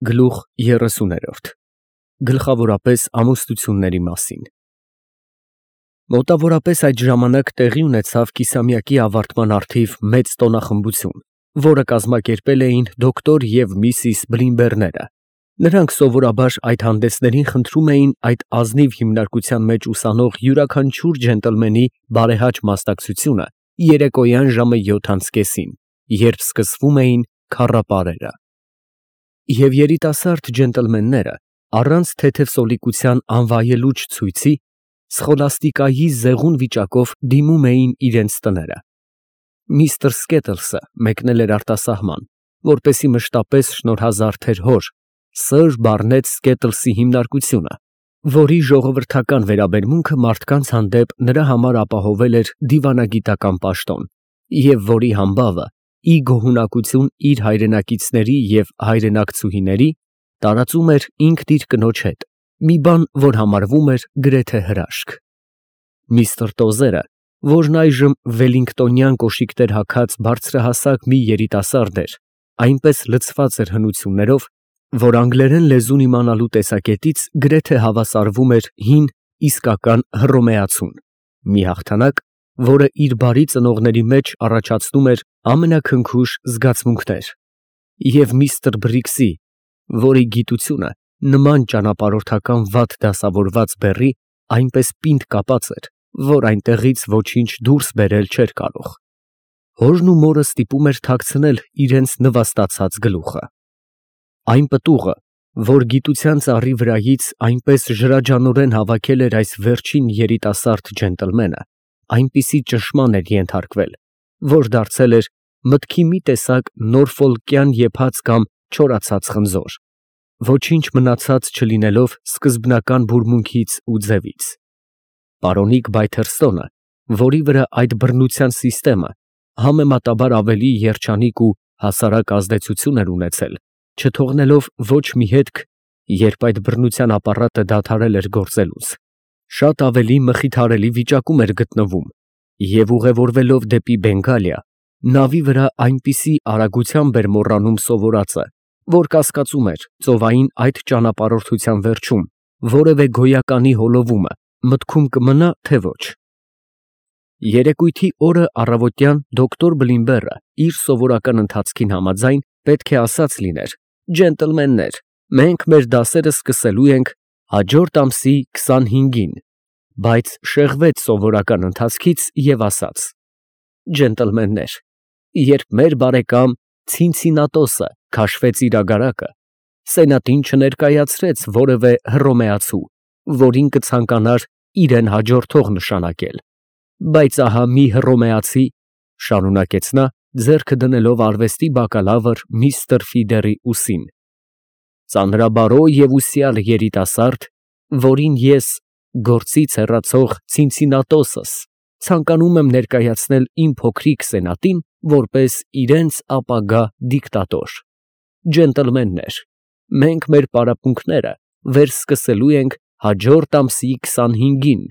Գլուխ 30 Գլխավորապես ամուսնությունների մասին Մոտավորապես այդ ժամանակ տեղի ունեցավ կիսամյակի ավարտման առթիվ մեծ տոնախմբություն, որը կազմակերպել էին դոկտոր և միսիս Բլիմբերները։ Նրանք սովորաբար այդ հանդեսներին խնդրում էին այդ ազնիվ հիմնարկության մեջ ուսանող յուրաքանչյուր ջենտլմենի բարեհաճ մասնակցությունը երեկոյան ժամը 7:30-ին, երբ սկսվում էին քառապարերը։ Եվ երիտասարդ ջենտլմենները, առանց թեթև սոլիկության անվայելուչ ցույցի, սխոլաստիկայի զեղուն վիճակով դիմում էին իրենց տները։ Միսթր Սքեթլսը մեկնել էր արտասահման, որպեսզի մշտապես շնորհազարդեր հոր, սըր Բարնետ Սքեթլսի հիմնարկությունը, որի ժողովրդական վերաբերմունքը մարդկանց հանդեպ նրա համար ապահովել էր դիվանագիտական պաշտոն, և որի համբավը ի գոհունակություն իր հայրենակիցների և հայրենակցուհիների տարածում էր ինքն իր կնոջ հետ, մի բան, որ համարվում էր գրեթե հրաշք։ Միսթր Տոզերը, որն այժմ վելլինգտոնյան կոշիկներ հագած բարձրահասակ մի երիտասարդ էր, այնպես լցված էր հնություններով, որ անգլերեն լեզուն իմանալու տեսակետից գրեթե հավասարվում էր հին իսկական հռոմեացուն, մի հաղթանակ, որը իր բարի ծնողների մեջ առաջացնում էր ամենաքնքուշ զգացմունքներ, և միսթր Բրիքսի, որի գիտությունը նման ճանապարհորդական վատ դասավորված բեռի այնպես պինդ կապած էր, որ այնտեղից ոչինչ դուրս բերել չէր կարող։ Հորն ու մորը ստիպում էր թաքցնել իրենց նվաստացած գլուխը։ Այն պտուղը, որ գիտության ծառի վրայից այնպես ժրաջանորեն հավաքել էր այս վերջին երիտասարդ ջենտլմենը, այնպիսի ճնշման էր ենթարկվել, որ դարձել էր մտքի մի տեսակ նորֆոլկյան եփած կամ չորացած խնձոր, ոչինչ մնացած չլինելով սկզբնական բուրմունքից ու ձևից։ Պարոնիկ Բայթերստոնը, որի վրա այդ բռնության սիստեմը համեմատաբար ավելի երջանիկ ու հասարակ ազդեցություն էր ունեցել, չթողնելով ոչ մի հետք, երբ այդ բռնության ապարատը դադարել էր գործելուց, շատ ավելի մխիթարելի վիճակում էր գտնվում, և ուղևորվելով դեպի Բենգալիա, նավի վրա այնպիսի արագությամբ էր մոռանում սովորածը, որ կասկածում էր ծովային այդ ճանապարհորդության վերջում որևէ գոյականի հոլովումը մտքում կմնա, թե ոչ։ Երեկույթի օրը առավոտյան դոկտոր Բլիմբերը իր սովորական ընթացքին համաձայն պետք է ասած լիներ. «Ջենտլմեններ, մենք մեր դասերը սկսելու ենք հաջորդ ամսի 25-ին», բայց շեղվեց սովորական ընթացքից և ասաց. «Ջենտլմեններ, երբ մեր բարեկամ Ցինցինատոսը քաշվեց իր ագարակը, սենատին չներկայացրեց որևէ հռոմեացու, որին կցանկանար իրեն հաջորդող նշանակել, բայց ահա մի հռոմեացի, ֊ շարունակեց նա, ձեռքը դնելով արվեստի բակալավր միստր Ֆիդերի ուսին, ֊ ծանրաբարո և ուսյալ երիտասարդ, որին ես, գործից հեռացող Ցինցինատոսս, ցանկանում եմ ներկայացնել իմ փոքրիկ սենատին որպես իրենց ապագա դիկտատոր։ Ջենտլմեններ, մենք մեր պարապմունքները վերսկսելու ենք հաջորդ ամսի 25-ին,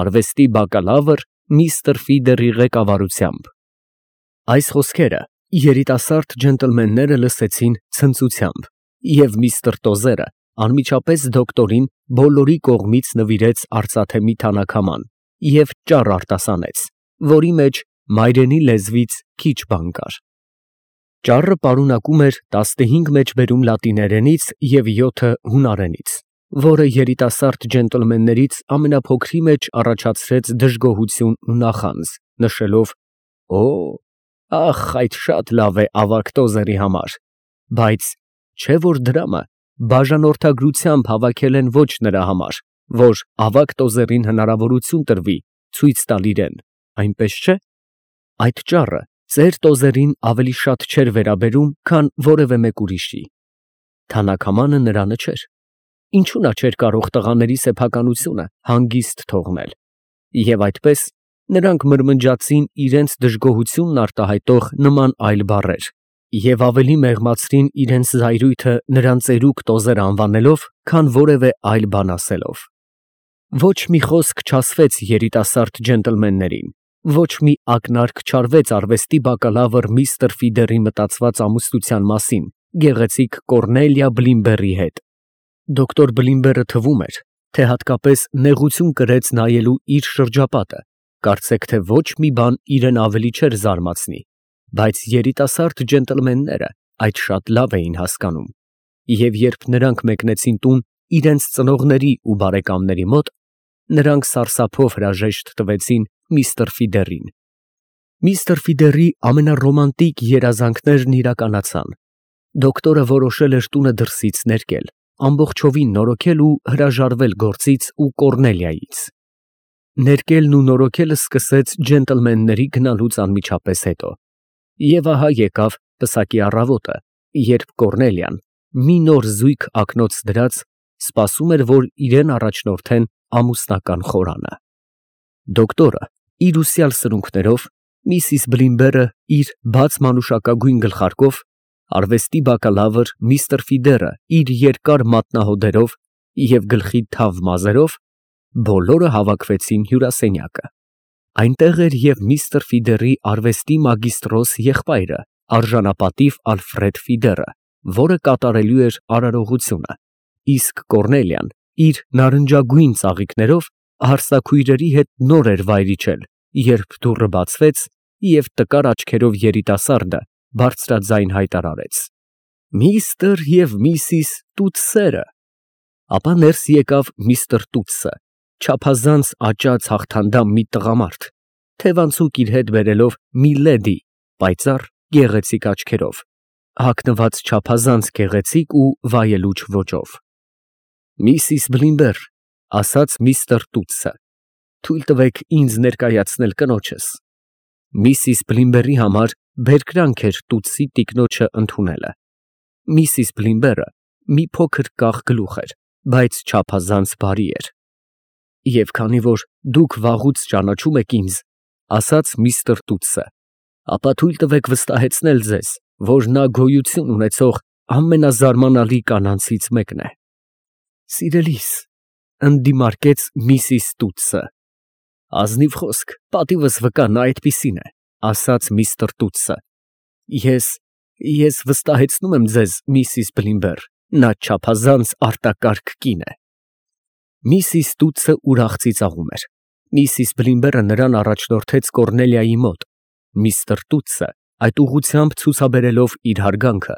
արվեստի բակալավր միստր Ֆիդերի ղեկավարությամբ»։ Այս խոսքերը երիտասարդ ջենտլմենները լսեցին ցնծությամբ, և միստր Տոզերը անմիջապես դոկտորին բոլորի կողմից նվիրեց արծաթե մի թանաքաման և ճառ արտասանեց, որի մեջ մայրենի լեզվից քիչ բան կար։ Ճառը պարունակում էր 15 մեջբերում լատիներենից և 7 հունարենից, որը երիտասարդ ջենտլմեններից ամենափոքրի մեջ առաջացրեց դժգոհություն ու նախանձ, նշելով. «Օ, ախ, այդ շատ լավ է ավագ Տոզերի համար, բայց չէ՞ որ դրամը բաժանորդագրությամբ հավաքել են ոչ նրա համար, որ ավագ Տոզերին հնարավորություն տրվի ցույց տալ իրեն, այնպես չէ՞։ Այդ ճառը ծեր Տոզերին ավելի շատ չէր վերաբերում, քան որևէ մեկ ուրիշի։ Թանաքամանը նրանը չէր։ Ինչու նա չէր կարող տղաների սեփականությունը հանգիստ թողնել։ Եվ այդպես նրանք մրմնջացին իրենց դժգոհությունն արտահայտող նման այլ բառեր և ավելի մեղմացրին իրենց զայրույթը նրան ծերուկ Տոզեր անվանելով, քան որևէ այլ բան ասելով։ Ոչ մի խոսք չասվեց երիտասարդ ջենտլմեններին, ոչ մի ակնարկ չարվեց արվեստի բակալավր միստր Ֆիդերի մտածված ամուսնության մասին գեղեցիկ Կորնելիա Բլիմբերի հետ։ Դոկտոր Բլիմբերը թվում էր, թե հատկապես նեղություն կրեց նայելու իր շրջապատը, կարծեք թե ոչ մի բան իրեն ավելի չէր զարմացնի, բայց երիտասարդ ջենտլմենները այդ շատ լավ էին հասկանում, և երբ նրանք մեկնեցին տուն իրենց ծնողների ու բարեկամների մոտ, նրանք սարսափով հրաժեշտ տվեցին միստր Ֆիդերին։ Միստր Ֆիդերի ամենառոմանտիկ երազանքներն իրականացան։ Դոկտորը որոշել էր տունը դրսից ներկել, ամբողջովին նորոգել ու հրաժարվել գործից ու Կորնելիայից։ Ներկելն ու նորոգելը սկսեց ջենտլմենների գնալուց անմիջապես հետո։ Եվ ահա եկավ պսակի առավոտը, երբ Կորնելիան, մի նոր զույգ ակնոց դրած, սպասում էր, որ իրեն առաջնորդեն ամուսնական խորանը։ Դոկտորը իր ուսյալ սրունքներով, միսիս Բլիմբերը իր բաց մանուշակագույն գլխարկով, արվեստի բակալավր միստր Ֆիդերը իր երկար մատնահոդերով և գլխի թավ մազերով, բոլորը հավաքվեցին հյուրասենյակը։ Այնտեղ էր և միստր Ֆիդերի արվեստի մագիստրոս եղբայրը, արժանապատիվ Ալֆրեդ Ֆիդերը, որը կատարելու էր արարողությունը, իսկ Կորնելիան իր նարնջագույն ծաղիկներով հարսաքույրերի հետ նոր էր վայր իջել, երբ դուռը բացվեց և տկար աչքերով երիտասարդը բարձրաձայն հայտարարեց. «Միստր և միսիս Տուտսերը»։ Ապա ներս եկավ միստր Տուտսը, չափազանց աճած հաղթանդամ մի տղամարդ, թևանցուկ իր հետ բերելով մի լեդի պայծառ գեղեցիկ աչքերով, հագնված չափազանց գեղեցիկ ու վայելուչ ոճով։ «Միսիս Բլիմբեր», ֊ ասաց միստր Տուտսը, ֊ թույլ տվեք ինձ ներկայացնել կնոջս։ Միսիս Բլիմբերի համար բերկրանք էր Տուտսի տիկնոջը ընդունելը։ Միսիս Բլիմբերը մի փոքր կախ գլուխ էր, բայց չափազանց բարի էր։ Եվ քանի որ դուք վաղուց ճանաչում եք ինձ, ֊ ասաց միստր Տուտսը, ֊ ապա թույլ տվեք վստահեցնել ձեզ, որ նա գոյություն ունեցող ամենազարմանալի կանանցից մեկն է։ Սիրելիս, ֊ ընդդիմարկեց միսիս Տուտսը։ Ազնիվ խոսք, պատիվս վկա, նա այդպիսին է, ֊ ասաց միստր Տուտսը։ Ես վստահեցնում եմ ձեզ, միսիս Բլիմբեր, նա չափազանց արտակարգ կին է։ Միսիս Տուտսը ուրախ ծիծաղում էր։ Միսիս Բլիմբերը նրան առաջնորդեց Կորնելիայի մոտ։ Միստր Տուտսը այդ ուղղությամբ ցուցաբերելով իր հարգանքը,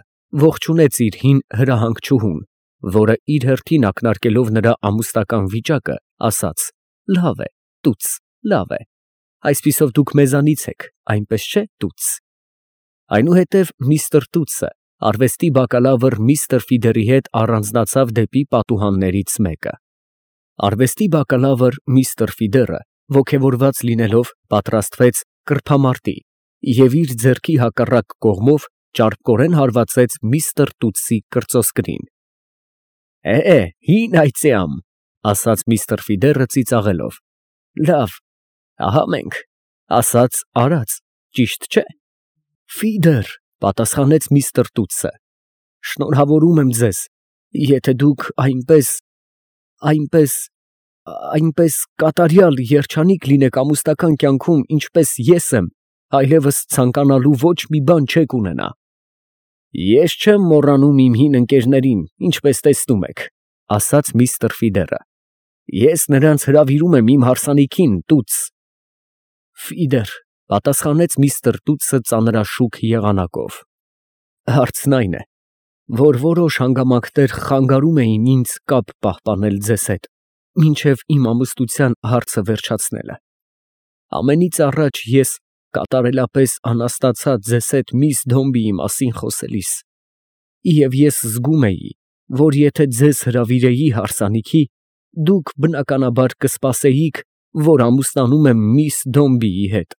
ողջունեց իր հին հրահանգչուհուն, որը իր հերթին ակնարկելով նրա ամուսնական վիճակը, ասաց. «Լավ է, Տուտս, լավ է։ Այսպիսով դուք մեզանից եք, այնպես չէ, Տուտս»։ Այնուհետև միստր Տուտսը արվեստի բակալավր միստր Ֆիդերի հետ առանձնացավ դեպի պատուհաններից մեկը։ Արվեստի բակալավր միստր Ֆիդերը, ոգևորված լինելով, պատրաստվեց կրբամարտի և իր ձեռքի հակառակ կողմով ճարպկորեն հարվածեց միստր Տուտսի կրծոսկրին։ Հին այծյամ, ֊ ասաց միստր Ֆիդերը ծիծաղելով։ Լավ, ահա մենք, ասած արած, ճիշտ չէ։ Ֆիդեր, ֊ պատասխանեց միստր Տուտսը, ֊ շնորհավորում եմ ձեզ, եթե դուք այնպես կատարյալ երջանիկ լինեք ամուսնական կյանքում, ինչպես ես եմ, այլևս ցանկանալու ոչ մի բան չեք ունենա։ Ես չեմ մոռանում իմ հին ընկերներին, ինչպես տեսնում եք, ֊ ասաց միստր Ֆիդերը։ Ես նրանց հրավիրում եմ իմ հարսանիքին, Տուտս։ Ֆիդեր, ֊ պատասխանեց միստր Տուտսը ծանրաշուք եղանակով։ Հարցն այն է, որ որոշ հանգամանքներ խանգարում էին ինձ կապ պահպանել ձեզ հետ, մինչև իմ ամուսնության հարցը վերջացնելը։ Ամենից առաջ ես կատարելապես անհասկացա ձեզ հետ միս Դոմբիի մասին խոսելիս, և ես զգում էի, որ եթե ձեզ հրավիրեի հարսանիքի, դուք բնականաբար կսպասեիք, որ ամուսնանում եմ միս Դոմբիի հետ,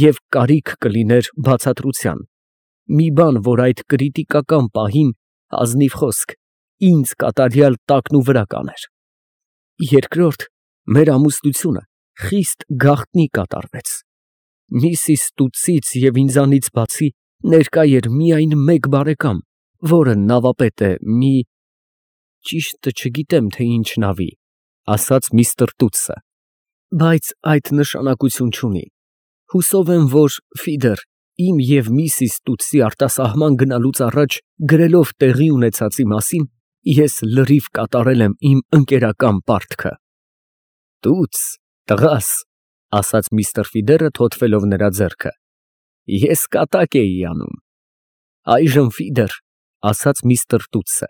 և կարիք կլիներ բացատրության, մի բան, որ այդ կրիտիկական պահին, ազնիվ խոսք, ինձ կատարյալ տակնուվրա կաներ։ Երկրորդ, մեր ամուսնությունը խիստ գաղտնի կատարվեց։ Միսիս Տուտսից և ինձանից բացի ներկա էր միայն մեկ բարեկամ, որը նավապետ է ճիշտը չգիտեմ, թե ինչ նավի, ֊ ասաց միստր Տուտսը, բայց այդ նշանակություն չունի։ Հուսով եմ, որ Ֆիդեր, իմ և Միսիս Տուտսի արտասահման գնալուց առաջ գրելով տեղի ունեցածի մասին, ես լրիվ կատարել եմ իմ ընկերական պարտքը։ Տուտս, տղաս, ասաց միստր Ֆիդերը թոթվելով նրա ձեռքը, ես կատակ էի անում։ Այժմ Ֆիդեր, ասաց միստր Տուտսը,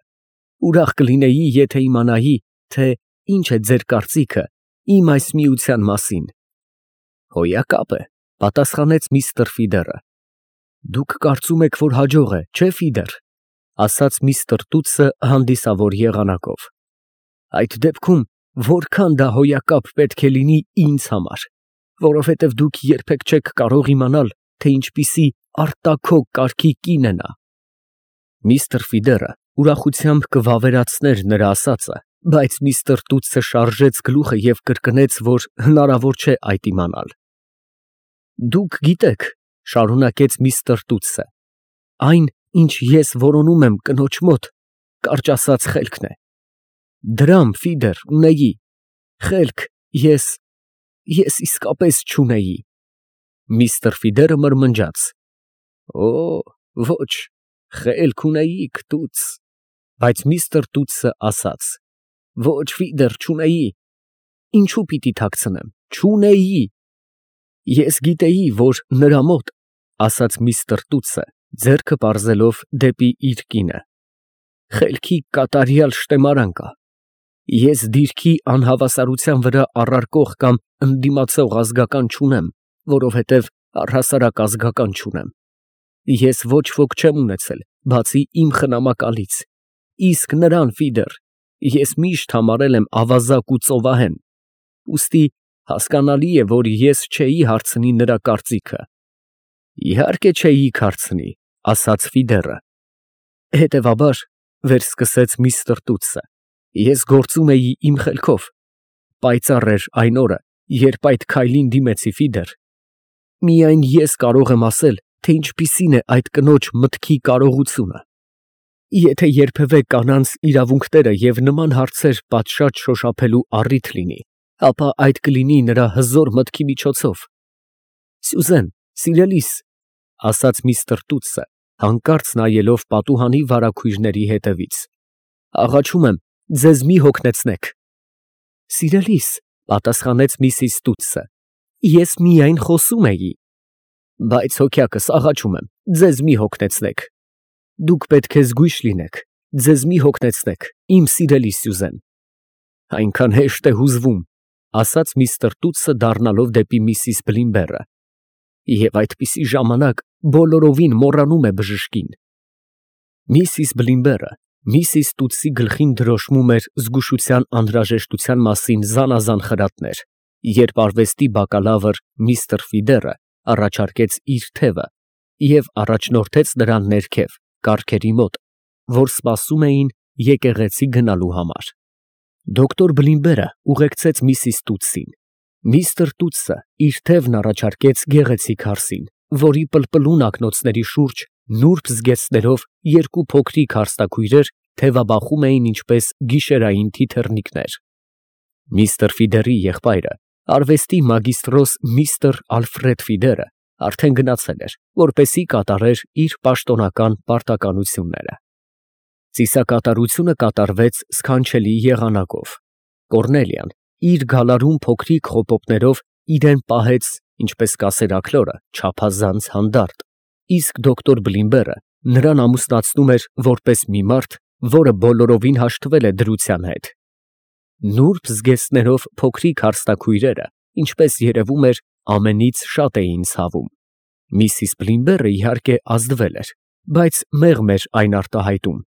ուրախ կլինեի, եթե իմանայի, թե ինչ է ձեր կարծիքը իմ այս միության մասին։ Հոյակապ է, պատասխանեց միստր Ֆիդերը։ Դուք կարծում եք, որ հաջող է, չէ՞ Ֆիդեր, ասաց միստր Տուտսը հանդիսավոր եղանակով։ Այդ դեպքում որքան դա հոյակապ պետք է լինի ինձ համար, որովհետև դուք երբեք չեք կարող իմանալ, թե ինչպիսի արտաքոք կարգի կին է նա։ Միստր Ֆիդերը ուրախությամբ կվավերացներ նրա ասածը, բայց միստր Տուտսը շարժեց գլուխը և կրկնեց, որ հնարավոր չէ այդ իմանալ։ Դուք գիտեք, շարունակեց միստր Տուտսը, այն, ինչ ես որոնում եմ կնոջ մոտ, կարճ ասած խելքն է։ Դրամ, Ֆիդեր, ունեի, խելք ես իսկապես չունեի։ Միստր Ֆիդերը մրմնջաց. Օ, ոչ, խելք ունեիք, Տուտս, բայց միստր Տուտսը ասաց. Ոչ, Ֆիդեր, չունեի։ Ինչու պիտի թաքցնեմ, չունեի։ Ես գիտեի, որ նրա մոտ, ասաց միստր Տուտսը, ձեռքը պարզելով դեպի իր կինը, խելքի կատարյալ շտեմարան կա։ Ես դիրքի անհավասարության վրա առարկող կամ ընդդիմացող ազգական չունեմ, որովհետև առհասարակ ազգական չունեմ։ Ես ոչ ոք չեմ ունեցել, բացի իմ խնամակալից, իսկ նրան, Ֆիդեր, ես միշտ համարել եմ ավազակ ու ծովահեն, ուստի հասկանալի է, որ ես չէի հարցնի նրա կարծիքը։ Իհարկե չէիք հարցնի, ասաց Ֆիդերը։ Հետևաբար, վերսկսեց միստր Տուտսը, ես գործում էի իմ խելքով, պայծառ էր այն օրը, երբ այդ քայլին դիմեցի, Ֆիդեր։ Միայն ես կարող եմ ասել, թե ինչպիսին է այդ կնոջ մտքի կարողությունը։ Եթե երբևէ կանանց իրավունքները և նման հարցեր պատշաճ շոշափելու առիթ լինի, ապա այդ կլինի նրա հզոր մտքի միջոցով։ Սյուզեն, սիրելիս, ասաց միստր Տուտսը, հանկարծ նայելով պատուհանի վարագույրների հետևից, աղաչում եմ, ձեզ մի հոգնեցնեք։ Սիրելիս, պատասխանեց միսիս Տուտսը, ես միայն խոսում էի։ Բայց հոգյակս աղաչում եմ, ձեզ մի հոգնեցնեք։ Դուք պետք է զգույշ լինեք, ձեզ մի հոգնեցնեք, իմ սիրելի Սյուզեն։ Այնքան հեշտ է հուզվում, ասաց միստր Տուտսը դառնալով դեպի միսիս Բլիմբերը, և այդպիսի ժամանակ բոլորովին մոռանում է բժշկին։ Միսիս Բլիմբերը միսիս Տուտսի գլխին դրոշմում էր զգուշության անհրաժեշտության մասին զանազան խրատներ, երբ արվեստի բակալավր միստր Ֆիդերը առաջարկեց իր թևը և առաջնորդեց նրան ներքև, կառքերի մոտ, որ սպասում էին եկեղեցի գնալու համար։ Դոկտոր Բլիմբերը ուղեկցեց միսիս Տուտսին։ Միստր Տուտսը իր թևն առաջարկեց գեղեցիկ հարսին, որի պլպլուն ակնոցների շուրջ նուրբ զգեստներով երկու փոքրիկ հարստաքույրեր թևաբախում էին ինչպես գիշերային թիթեռնիկներ։ Միստր Ֆիդերի եղբայրը, արվեստի մագիստրոս միստր Ալֆրեդ Ֆիդերը, արդեն գնացել էր, որպեսզի կատարեր իր պաշտոնական պարտականությունները։ Ծիսակատարությունը կատարվեց սքանչելի եղանակով։ Կոռնելիան իր գալարում փոքրիկ խոպոպներով իրեն պահեց, ինչպես կասեր աքլորը, չափազանց հանդարտ, իսկ դոկտոր Բլիմբերը նրան ամուսնացնում էր որպես մի մարդ, որը բոլորովին հաշտվել է դրության հետ։ Նուրբ զգեստներով փոքրիկ հարստաքույրերը, ինչպես երևում էր, ամենից շատ էին ցավում։ Միսիս Բլիմբերը իհարկե ազդվել էր, բայց մեղմ էր այն արտահայտում,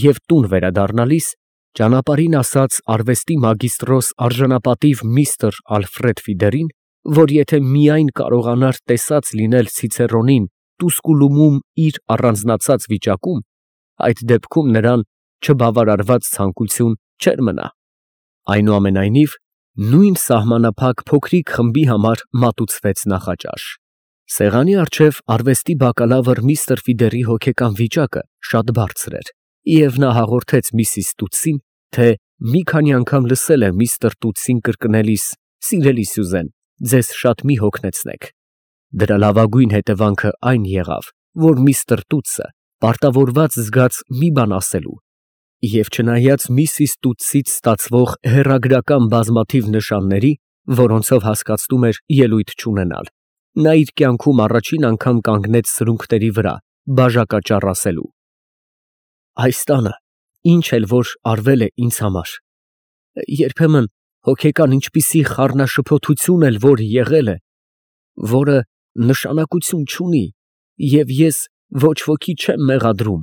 և տուն վերադառնալիս ճանապարհին ասաց արվեստի մագիստրոս արժանապատիվ միստր Ալֆրեդ Ֆիդերին, որ եթե միայն կարողանար տեսած լինել Ցիցերոնին Տուսկուլումում իր առանձնացած վիճակում, այդ դեպքում նրան չբավարարված ցանկություն չէր մնա։ Այնուամենայնիվ, նույն սահմանափակ փոքրիկ խմբի համար մատուցվեց նախաճաշ։ Սեղանի առջև արվեստի բակալավր միստր Ֆիդերի հոգեկան վիճակը շատ բարձր էր, և նա հաղորդեց միսիս Տուտսին, թե մի քանի անգամ լսել է միստր Տուտսին կրկնելիս. «Սիրելի Սյուզեն, ձեզ շատ մի հոգնեցնեք»։ Դրա լավագույն հետևանքը այն եղավ, որ միստր Տուտսը պարտավորված զգաց մի բան ասելու, և չնայած միսիս Տուտսից ստացվող հեռագրական բազմաթիվ նշանների, որոնցով հասկացնում էր ելույթ չունենալ, նա իր կյանքում առաջին անգամ կանգնեց սրունքների վրա, բաժակաճառ ասելու. «Այս տանը, ինչ էլ որ արվել է ինձ համար, երբեմն հոգեկան ինչպիսի խառնաշփոթություն էլ որ եղել է, որը նշանակություն չունի, և ես ոչ ոքի չեմ մեղադրում,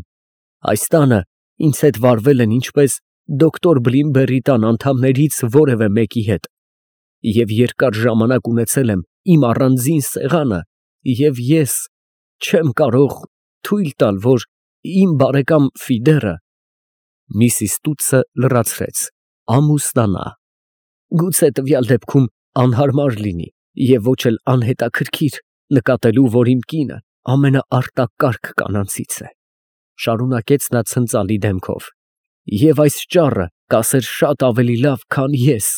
այս տանը ինձ հետ վարվել են ինչպես դոկտոր Բլիմբերի տան անդամներից որևէ մեկի հետ, և երկար ժամանակ ունեցել եմ իմ առանձին սեղանը, և ես չեմ կարող թույլ տալ, որ իմ բարեկամ Ֆիդերը (Միսիս Տուտսը լրացրեց) ամուսնանա։ Գուցե տվյալ դեպքում անհարմար լինի և ոչ էլ անհետաքրքիր նկատելու, որ իմ կինը ամենաարտակարգ կանանցից է, շարունակեց նա ցնծալի դեմքով, և այս ճառը կասեր շատ ավելի լավ, քան ես։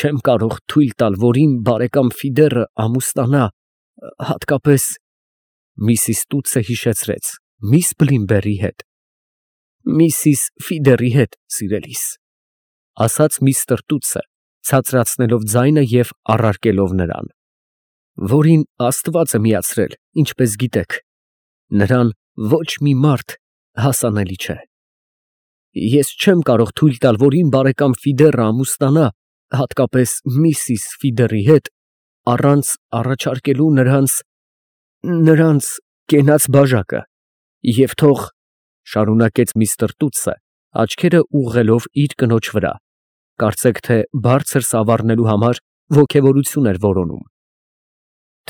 Չեմ կարող թույլ տալ, որ իմ բարեկամ Ֆիդերը ամուսնանա, հատկապես (Միսիս Տուտսը հիշեցրեց) միս Բլիմբերի հետ։ Միսիս Ֆիդերի հետ, սիրելիս, ասաց միստր Տուտսը, ցածրացնելով ձայնը և առարկելով նրան, որին Աստված է միացրել, ինչպես գիտեք, նրան ոչ մի մարդ հասանելի չէ։ Ես չեմ կարող թույլ տալ, որ իմ բարեկամ Ֆիդերը ամուսնանա, հատկապես միսիս Ֆիդերի հետ, առանց առաջարկելու նրանց կենաց բաժակը, և թող, շարունակեց միստր Տուտսը, աչքերը ուղղելով իր կնոջ վրա, կարծեք թե բարձր սավառնելու համար ոգևորություն էր որոնում,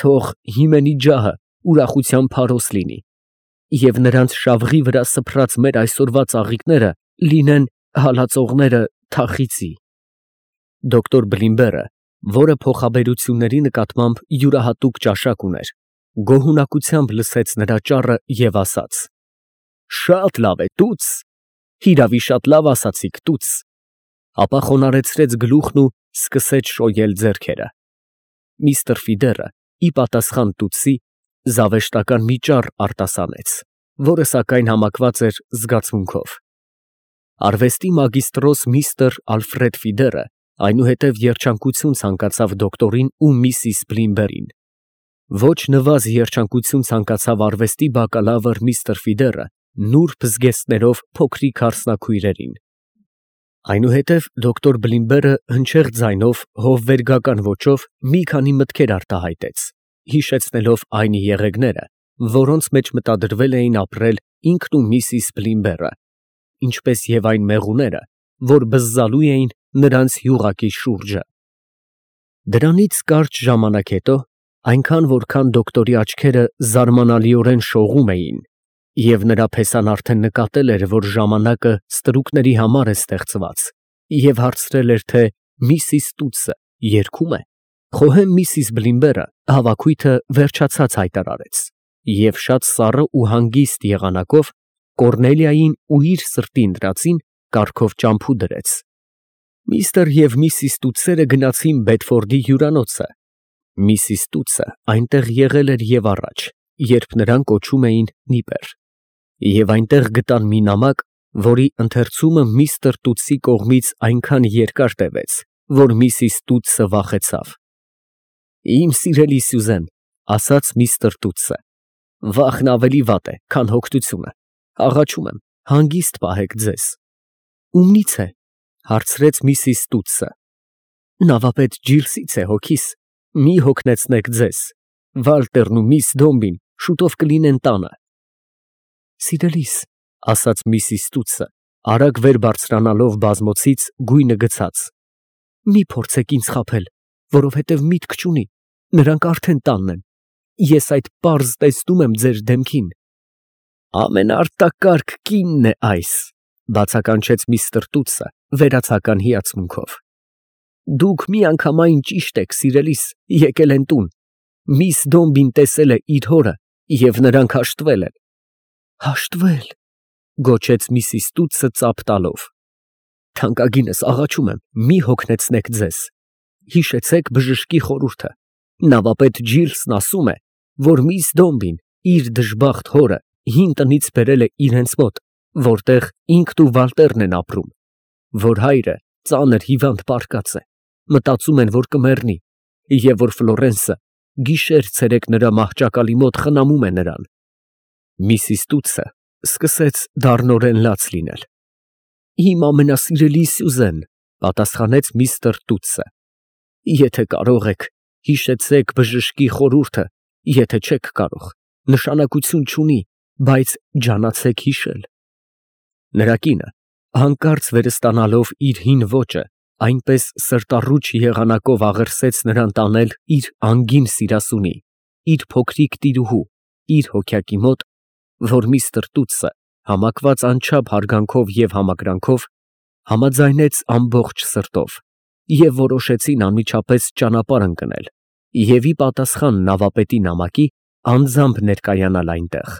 թող հիմենի ջահը ուրախության փարոս լինի, և նրանց շավղի վրա սփռած մեր այսօրվա ծաղիկները լինեն հալածողները թախիծի։ Դոկտոր Բլիմբերը, որը փոխաբերությունների նկատմամբ յուրահատուկ ճաշակ ուներ, գոհունակությամբ լսեց նրա ճառը և ասաց. «Շատ լավ է, Տուտս, հիրավի շատ լավ ասացիք, Տուտս», ապա խոնարհեցրեց գլուխն ու սկսեց շոյել ձեռքերը։ Միստր Ֆիդերը, ի պատասխան Տուտսի, զավեշտական մի ճառ արտասանեց, որը սակայն համակված էր զգացմունքով։ Արվեստի մագիստրոս միստր Ալֆրեդ Ֆիդերը այնուհետև երջանկություն ցանկացավ դոկտորին ու միսիս Բլիմբերին։ Ոչ նվազ երջանկություն ցանկացավ արվեստի բակալավր միստր Ֆիդերը նուրբ զգեստներով փոքրիկ հարսնաքույրերին։ Այնուհետև դոկտոր Բլիմբերը հնչեղ ձայնով հովվերգական ոճով մի քանի մտքեր արտահայտեց, հիշեցնելով այն եղեգները, որոնց մեջ մտադրվել էին ապրել ինքն ու միսիս Բլիմբերը, ինչպես և այն մեղուները, որ բզզալու էին նրանց յուղակի շուրջը։ Դրանից կարճ ժամանակ հետո, այնքան որքան դոկտորի աչքերը զարմանալիորեն շողում էին, և նրա փեսան արդեն նկատել էր, որ ժամանակը ստրուկների համար է ստեղծված, և հարցրել էր, թե միսիս Տուտսը երգում է, խոհեմ միսիս Բլիմբերը հավաքույթը վերջացած հայտարարեց, և շատ սառը ու հանգիստ եղանակով Կոռնելիային ու իր սրտի ընտրածին կառքով ճամփու դրեց։ Միստր և միսիս Տուտսերը գնացին Բեդֆորդի հյուրանոցը։ Միսիս Տուտսը այնտեղ եղել էր և առաջ, երբ նրան կոչում էին Նիպեր, և այնտեղ գտան մի նամակ, որի ընթերցումը միստր Տուտսի կողմից այնքան երկար տևեց, որ միսիս Տուտսը վախեցավ։ «Իմ սիրելի Սյուզեն», ասաց միստր Տուտսը, «վախն ավելի վատ է, քան հոգնությունը, աղաչում եմ, հանգիստ պահեք ձեզ»։ «Ումնի՞ց է», հարցրեց միսիս Տուտսը։ «Նավապետ Ջիլսից է, հոգիս, մի հոգնեցնեք ձեզ, Վալտերն ու միս Դոմբին շուտով կլինեն տանը»։ «Սիրելիս», ասաց միսիս Տուտսը, արագ վեր բարձրանալով բազմոցից գույնը գցած, «մի փորձեք ինձ խաբել, որովհետև միտք չունի, նրանք արդեն տանն են, ես այդ պարզ տեսնում եմ ձեր դեմքին»։ «Ամենաարտակարգ կինն է այս», բացականչեց միստր Տուտսը վերացական հիացմունքով։ «Դուք միանգամայն ճիշտ եք, սիրելիս, եկել են տուն, միս Դոմբին տեսել է իր հորը, և նրանք հաշտվել են»։ «Հաշտվել», գոչեց միսիս Տուտսը ծափ տալով։ «Թանկագինս, աղաչում եմ, մի հոգնեցնեք ձեզ, հիշեցեք բժշկի խորհուրդը, Նավապետ Ջիլսն ասում է, որ միս Դոմբին իր դժբախտ հորը հին տնից բերել է իրենց մոտ, որտեղ ինքն ու Վալտերն են ապրում, որ հայրը ծանր հիվանդ պառկած է, մտածում են, որ կմեռնի, և որ Ֆլորենսը գիշեր֊ցերեկ նրա մահճակալի մոտ խնամում է նրան։ Միսիս Տուտսը սկսեց դառնորեն լաց լինել։ «Իմ ամենասիրելի Սյուզեն, ֊ պատասխանեց միստր Տուտսը, ֊ եթե կարող եք, հիշեցեք բժշկի խորհուրդը, եթե չեք կարող, նշանակություն չունի, բայց ջանացեք հիշել»։ Նրա կինը, հանկարծ վերստանալով իր հին ոճը, այնպես սրտառուչ եղանակով աղերսեց նրան տանել իր անգին սիրասունի, իր փոքրիկ տիրուհու, իր հոգյակի մոտ, որ միստր Տուտսը, համակված անչափ հարգանքով և համակրանքով, համաձայնեց ամբողջ սրտով և որոշեցին անմիջապես ճանապարհ ընկնել և ի պատասխան նավապետի նամակի անձամբ ներկայանալ այնտեղ։